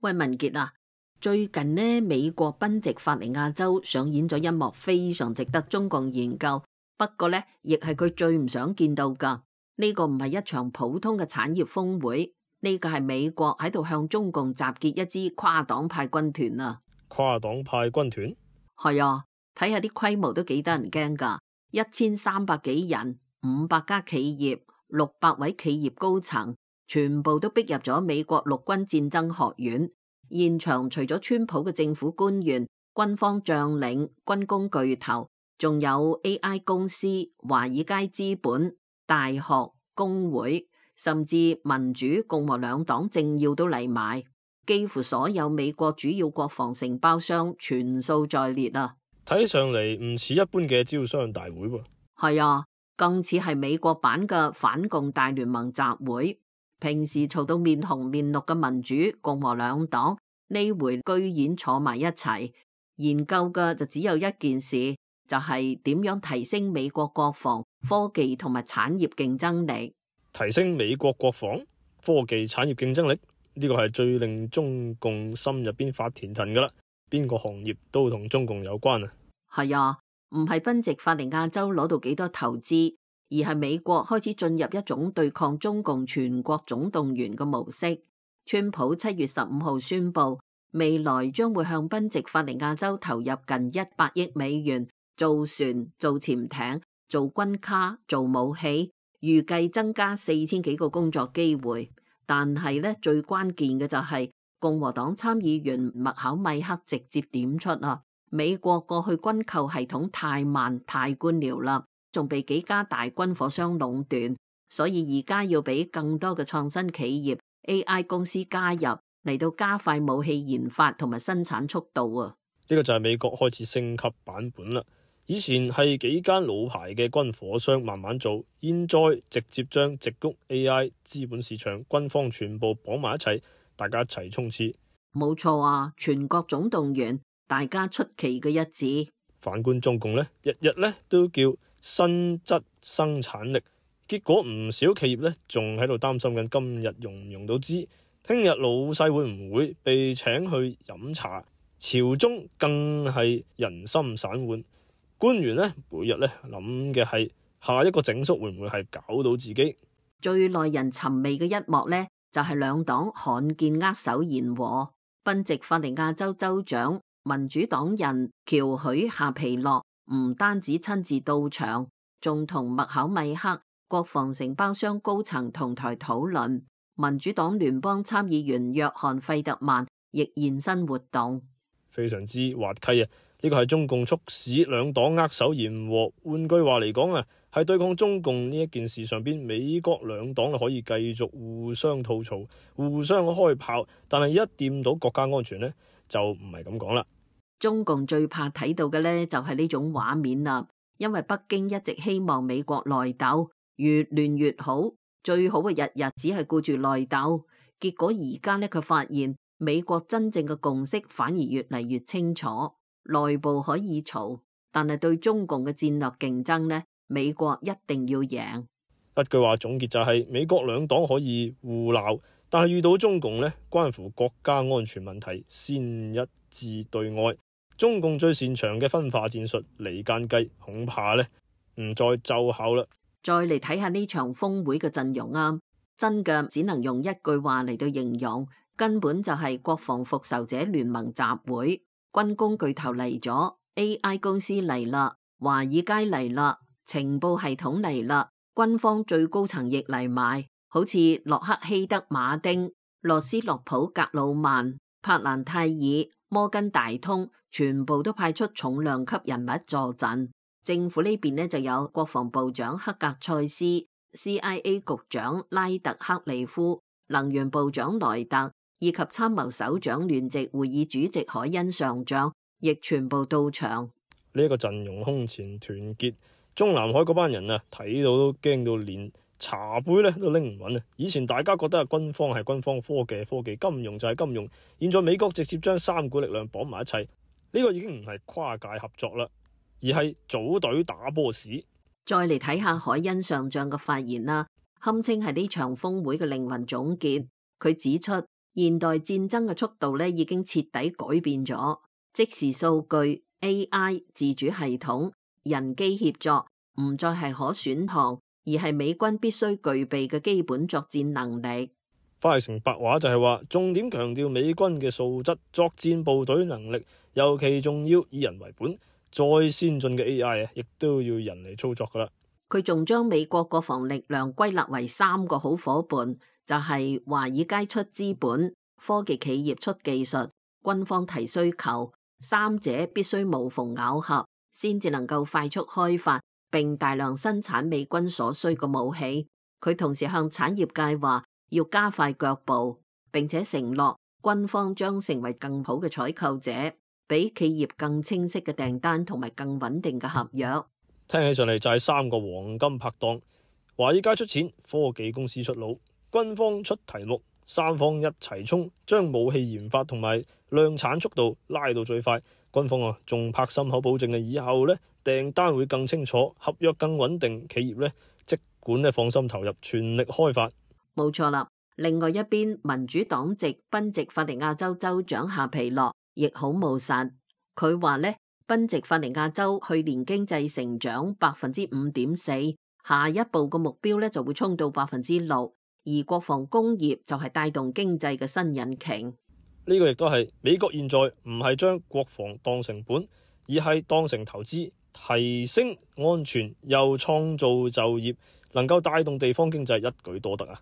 喂，文傑啊，最近呢，美國賓夕法尼亞州上演咗一幕非常值得中共研究，不過呢，亦係佢最唔想見到噶。呢個唔係一場普通嘅產業峰會，呢個係美國喺度向中共集結一支跨黨派軍團啊！跨黨派軍團？係啊，睇下啲規模都幾得人驚噶，1300幾人，500家企業，600位企業高層，全部都逼入咗美國陸軍戰爭學院。現場除咗川普嘅政府官員、軍方將領、軍工巨頭，仲有 AI 公司、華爾街資本、大學、工會，甚至民主、共和兩黨政要都嚟埋，幾乎所有美國主要國防承包商全數在列啊！睇上嚟唔似一般嘅招商大會喎。係啊，更似係美國版嘅反共大聯盟集會。平時嘈到面紅面綠嘅民主、共和兩黨，呢回居然坐埋一齊研究嘅就只有一件事，就係點樣提升美國國防、科技同埋產業競爭力。提升美國國防、科技產業競爭力，呢個係最令中共心入邊發甜騰噶啦。邊個行業都同中共有關啊？係啊，唔係賓夕法尼亞州攞到幾多投資，而係美國開始進入一種對抗中共全國總動員嘅模式。川普7月15號宣布，未來將會向賓夕法尼亞州投入近100億美元，造船、造潛艇、做軍卡、做武器，預計增加4000幾個工作機會。但係呢，最關鍵嘅就係共和黨參議員麥考米克直接點出啊，美國過去軍購系統太慢太官僚啦，仲被幾家大軍火商壟斷，所以而家要俾更多嘅創新企業、AI 公司加入嚟到加快武器研發同埋生產速度啊！呢個就係美國開始升級版本啦。以前係幾間老牌嘅軍火商慢慢做，現在直接將矽谷 AI、資本市場、軍方全部綁埋一齊，大家一齊衝刺。冇錯啊！全國總動員，大家出奇嘅一致。反觀中共呢，日日呢都叫新質生產力，結果唔少企業呢仲喺度擔心緊今日用唔用到資，聽日老細會唔會被請去飲茶？朝中更係人心散渙，官員呢每日呢諗嘅係下一個整肅會唔會係搞到自己。最耐人尋味嘅一幕呢，就係兩黨罕見握手言和。賓夕法尼亞州州長民主黨人喬許夏皮諾唔單止親自到場，仲同麥考米克、國防承包商高層同台討論。民主黨聯邦參議員約翰費特曼亦現身活動，非常之滑稽啊！呢個係中共促使兩黨握手言和，換句話嚟講啊，係對抗中共呢一件事上邊，美國兩黨可以繼續互相吐槽、互相開炮，但係一掂到國家安全呢，就唔係咁講啦。中共最怕睇到嘅呢，就係呢種畫面啦，因為北京一直希望美國內鬥越亂越好，最好嘅日日只係顧住內鬥，結果而家呢，佢發現美國真正嘅共識反而越嚟越清楚。內部可以嘈，但係對中共嘅戰略競爭呢，美國一定要贏。一句話總結就係，美國兩黨可以互鬧，但係遇到中共呢，關乎國家安全問題，先一致對外。中共最擅長嘅分化戰術離間計，恐怕呢唔再奏效啦。再嚟睇下呢場峰會嘅陣容啊，真嘅只能用一句話嚟到形容，根本就係國防復仇者聯盟集會。軍工巨頭嚟咗 ，AI 公司嚟啦，華爾街嚟啦，情報系統嚟啦，軍方最高層亦嚟埋，好似洛克希德馬丁、羅斯洛普格魯曼、柏蘭泰爾、摩根大通，全部都派出重量級人物助陣。政府呢邊呢，就有國防部長克格塞斯、CIA 局長拉特克利夫、能源部長萊特，以及參謀首長聯席會議主席海恩上將，亦全部到場。呢一個陣容空前團結，中南海嗰班人啊，睇到都驚到連茶杯咧都拎唔穩啊！以前大家覺得軍方係軍方，科技係科技，金融就係金融，現在美國直接將三股力量綁埋一齊，呢個已經唔係跨界合作啦，而係組隊打波士。再嚟睇下海恩上將嘅發言啦，堪稱係呢場峰會嘅靈魂總結。佢指出，現代戰爭嘅速度咧已經徹底改變咗，即時數據、AI、自主系統、人機協作唔再係可選項，而係美軍必須具備嘅基本作戰能力。翻譯成白話就係話，重點強調美軍嘅素質、作戰部隊能力，尤其重要以人為本。再先進嘅 AI 亦都要人嚟操作噶啦。佢仲將美國國防力量歸納為3個好伙伴，就係華爾街出資本、科技企業出技術、軍方提需求，三者必須無縫咬合，先至能夠快速開發並大量生產美軍所需嘅武器。佢同時向產業界話要加快腳步，並且承諾軍方將成為更好嘅採購者，俾企業更清晰嘅訂單同埋更穩定嘅合約。聽起上嚟就係3個黃金拍檔，華爾街出錢，科技公司出腦，軍方出題目，三方一齊衝，將武器研發同埋量產速度拉到最快。軍方仲拍心口保證以後訂單會更清楚，合約更穩定，企業即管放心投入，全力開發。冇錯啦。另外一邊，民主黨籍賓夕法尼亞州州長夏皮諾亦好務實，佢話賓夕法尼亞州去年經濟成長5.4%，下一步嘅目標就會衝到6%，而國防工業就係帶動經濟嘅新引擎。呢個亦都係美國現在唔係將國防當成本，而係當成投資，提升安全又創造就業，能夠帶動地方經濟，一舉多得啊！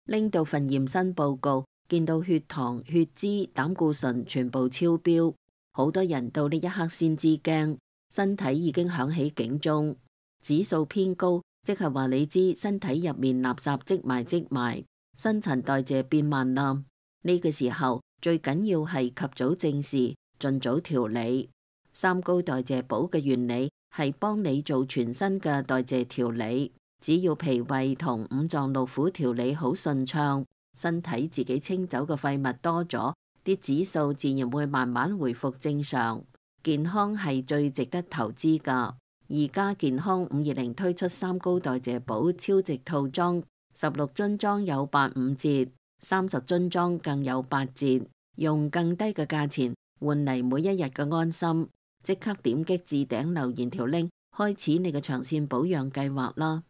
拎到份驗身報告，見到血糖、血脂、膽固醇全部超標，好多人到呢一刻先知驚，身體已經響起警鐘，指數偏高，即係話你知身體入面垃圾積埋，新陳代謝變慢啦。呢個時候最緊要係及早正視，盡早調理。三高代謝寶嘅原理係幫你做全身嘅代謝調理。只要脾胃同五臟六腑調理好順暢，身體自己清走嘅廢物多咗，啲指數自然會慢慢回復正常。健康係最值得投資㗎。而家健康520推出三高代謝寶超值套裝，16樽裝有85折，30樽裝更有8折，用更低嘅價錢換嚟每一日嘅安心。即刻點擊置頂留言條 link，開始你嘅長線保養計劃啦！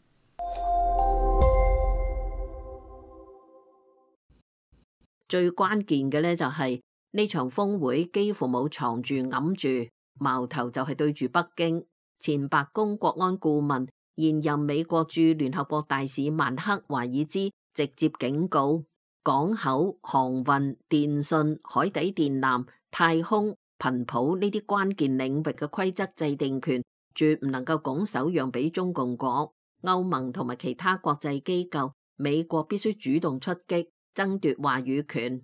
最關鍵嘅就係呢場峰會幾乎冇藏住揞住，矛頭就係對住北京。前白宮國安顧問、現任美國駐聯合國大使曼克華爾茲直接警告：港口、航運、電信、海底電纜、太空、頻譜呢啲關鍵領域嘅規則制定權，絕唔能夠拱手讓俾中共國。歐盟同埋其他國際機構，美國必須主動出擊，爭奪話語權。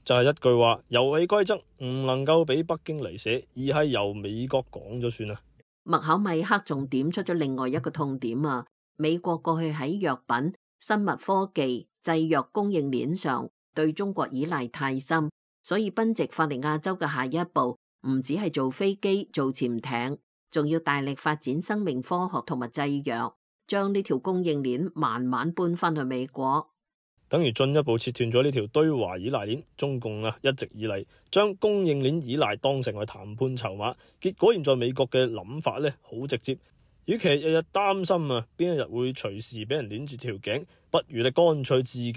就係一句話，遊戲規則唔能夠俾北京嚟寫，而係由美國講咗算啊。麥考米克仲點出咗另外一個痛點啊！美國過去喺藥品、生物科技、製藥供應鏈上對中國依賴太深，所以賓夕法尼亞州嘅下一步唔止係做飛機、做潛艇，仲要大力發展生命科學同埋製藥，將呢條供應鏈慢慢搬翻去美國。等於進一步切斷咗呢條對華依賴鏈。中共一直以嚟將供應鏈依賴當成為談判籌碼，結果現在美國嘅諗法好直接，與其日日擔心邊一日會隨時俾人鏈住條頸，不如你乾脆自己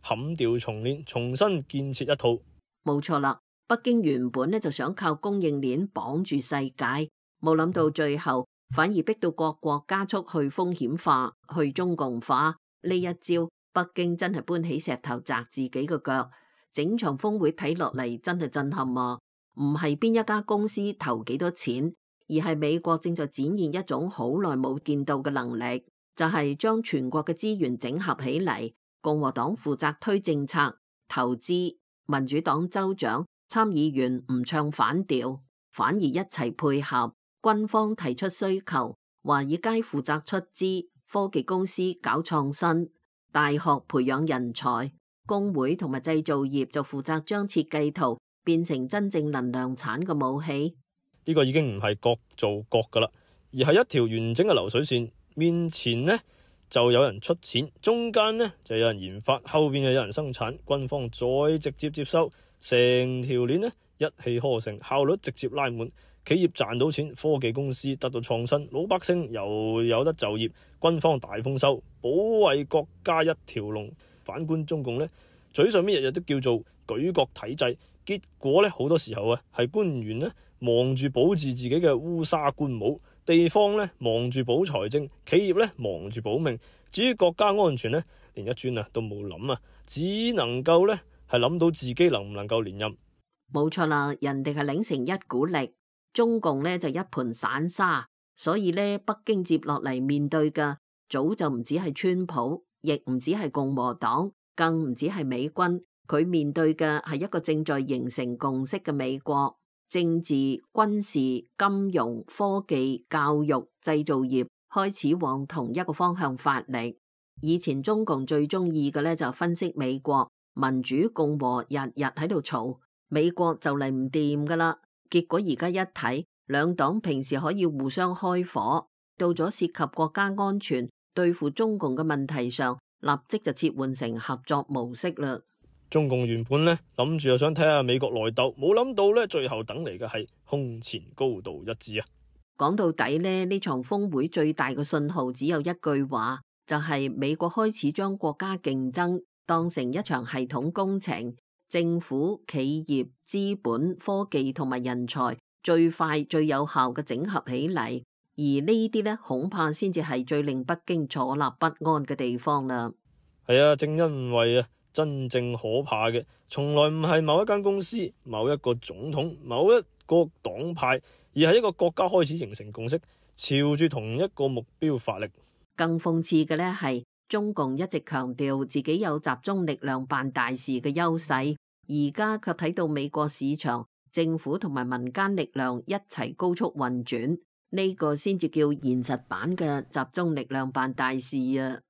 砍掉重練，重新建設一套。冇錯啦，北京原本就想靠供應鏈綁住世界，冇諗到最後反而逼到各國加速去風險化、去中共化。呢一招北京真係搬起石頭砸自己嘅腳。整場峰會睇落嚟真係震撼啊！唔係邊一家公司投幾多錢，而係美國正在展現一種好耐冇見到嘅能力，就係將全國嘅資源整合起嚟。共和黨負責推政策、投資，民主黨州長、參議員唔唱反調，反而一齊配合。軍方提出需求，華爾街負責出資，科技公司搞創新，大學培養人才，工會同埋製造業就負責將設計圖變成真正能量產嘅武器。呢個已經唔係各做各噶啦，而係一條完整嘅流水線。面前就有人出錢，中間呢就有人研發，後邊又有人生產，軍方再直接接收，成條鏈呢一氣呵成，效率直接拉滿，企業賺到錢，科技公司得到創新，老百姓又有得就業，軍方大豐收，保衛國家一條龍。反觀中共呢，嘴上面日日都叫做舉國體制，結果呢好多時候係官員呢忙住保住自己嘅烏紗官帽，地方呢忙住保財政，企業呢忙住保命，至於國家安全呢，連一磚都冇諗，只能夠呢係諗到自己能唔能夠連任。冇錯啦，人哋係擰成一股力，中共呢就一盤散沙，所以呢北京接落嚟面對嘅早就唔止係川普，亦唔止係共和黨，更唔止係美軍，佢面對嘅係一個正在形成共識嘅美國。政治、軍事、金融、科技、教育、製造業開始往同一個方向發力。以前中共最中意嘅呢就分析美國民主共和日日喺度嘈，美國就嚟唔掂噶啦。結果而家一睇，兩黨平時可以互相開火，到咗涉及國家安全、對付中共嘅問題上，立即就切換成合作模式啦。中共原本呢諗住又想睇下美國內鬥，冇諗到呢最後等嚟嘅係空前高度一致啊！講到底呢場峰會最大嘅信號只有一句話，就係美國開始將國家競爭當成一場系統工程，政府、企業、資本、科技同埋人才最快最有效嘅整合起嚟，而呢啲呢恐怕先至係最令北京坐立不安嘅地方啦。係啊，正因為真正可怕嘅，從來唔係某一間公司、某一個總統、某一個黨派，而係一個國家開始形成共識，朝住同一個目標發力。更諷刺嘅呢係，中共一直強調自己有集中力量辦大事嘅優勢，而家卻睇到美國市場、政府同埋民間力量一齊高速運轉，呢個先至叫現實版嘅集中力量辦大事啊！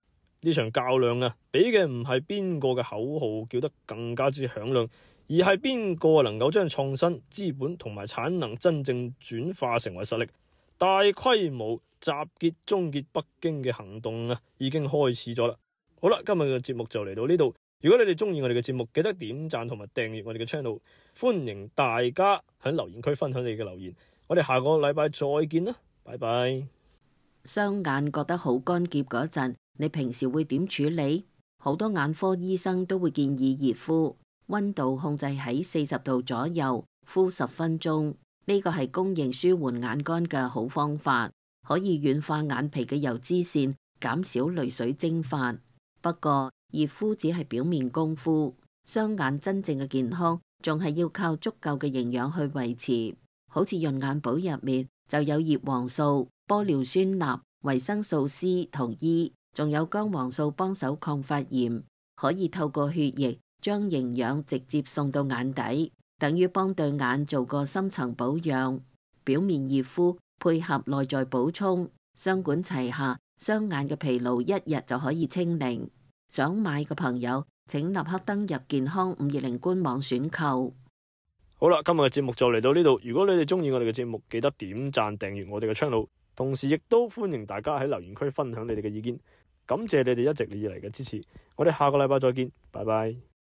呢場較量比嘅唔係邊個嘅口號叫得更加之響亮，而係邊個能夠將創新、資本同埋產能真正轉化成為實力。大規模集結終結北京嘅行動已經開始咗啦。好啦，今日嘅節目就嚟到呢度。如果你哋中意我哋嘅節目，記得點讚同埋訂閱我哋嘅 channel。歡迎大家喺留言區分享你嘅留言。我哋下個禮拜再見啦，拜拜。雙眼覺得好乾澀嗰陣，你平時會點處理？好多眼科醫生都會建議熱敷，溫度控制喺40度左右，敷10分鐘。呢個係公認舒緩眼乾嘅好方法，可以軟化眼皮嘅油脂腺，減少淚水蒸發。不過熱敷只係表面功夫，雙眼真正嘅健康仲係要靠足夠嘅營養去維持。好似潤眼寶入面就有葉黃素、玻尿酸鈉、維生素 C 同 E， 仲有薑黃素幫手抗發炎，可以透過血液將營養直接送到眼底，等於幫對眼做個深層保養。表面熱敷配合內在補充，雙管齊下，雙眼嘅疲勞一日就可以清零。想買嘅朋友請立刻登入健康520官網選購。好啦，今日嘅節目就嚟到呢度。如果你哋中意我哋嘅節目，記得點讚訂閱我哋嘅 channel， 同時亦都歡迎大家喺留言區分享你哋嘅意見。感謝你哋一直以嚟嘅支持，我哋下個禮拜再見，拜拜。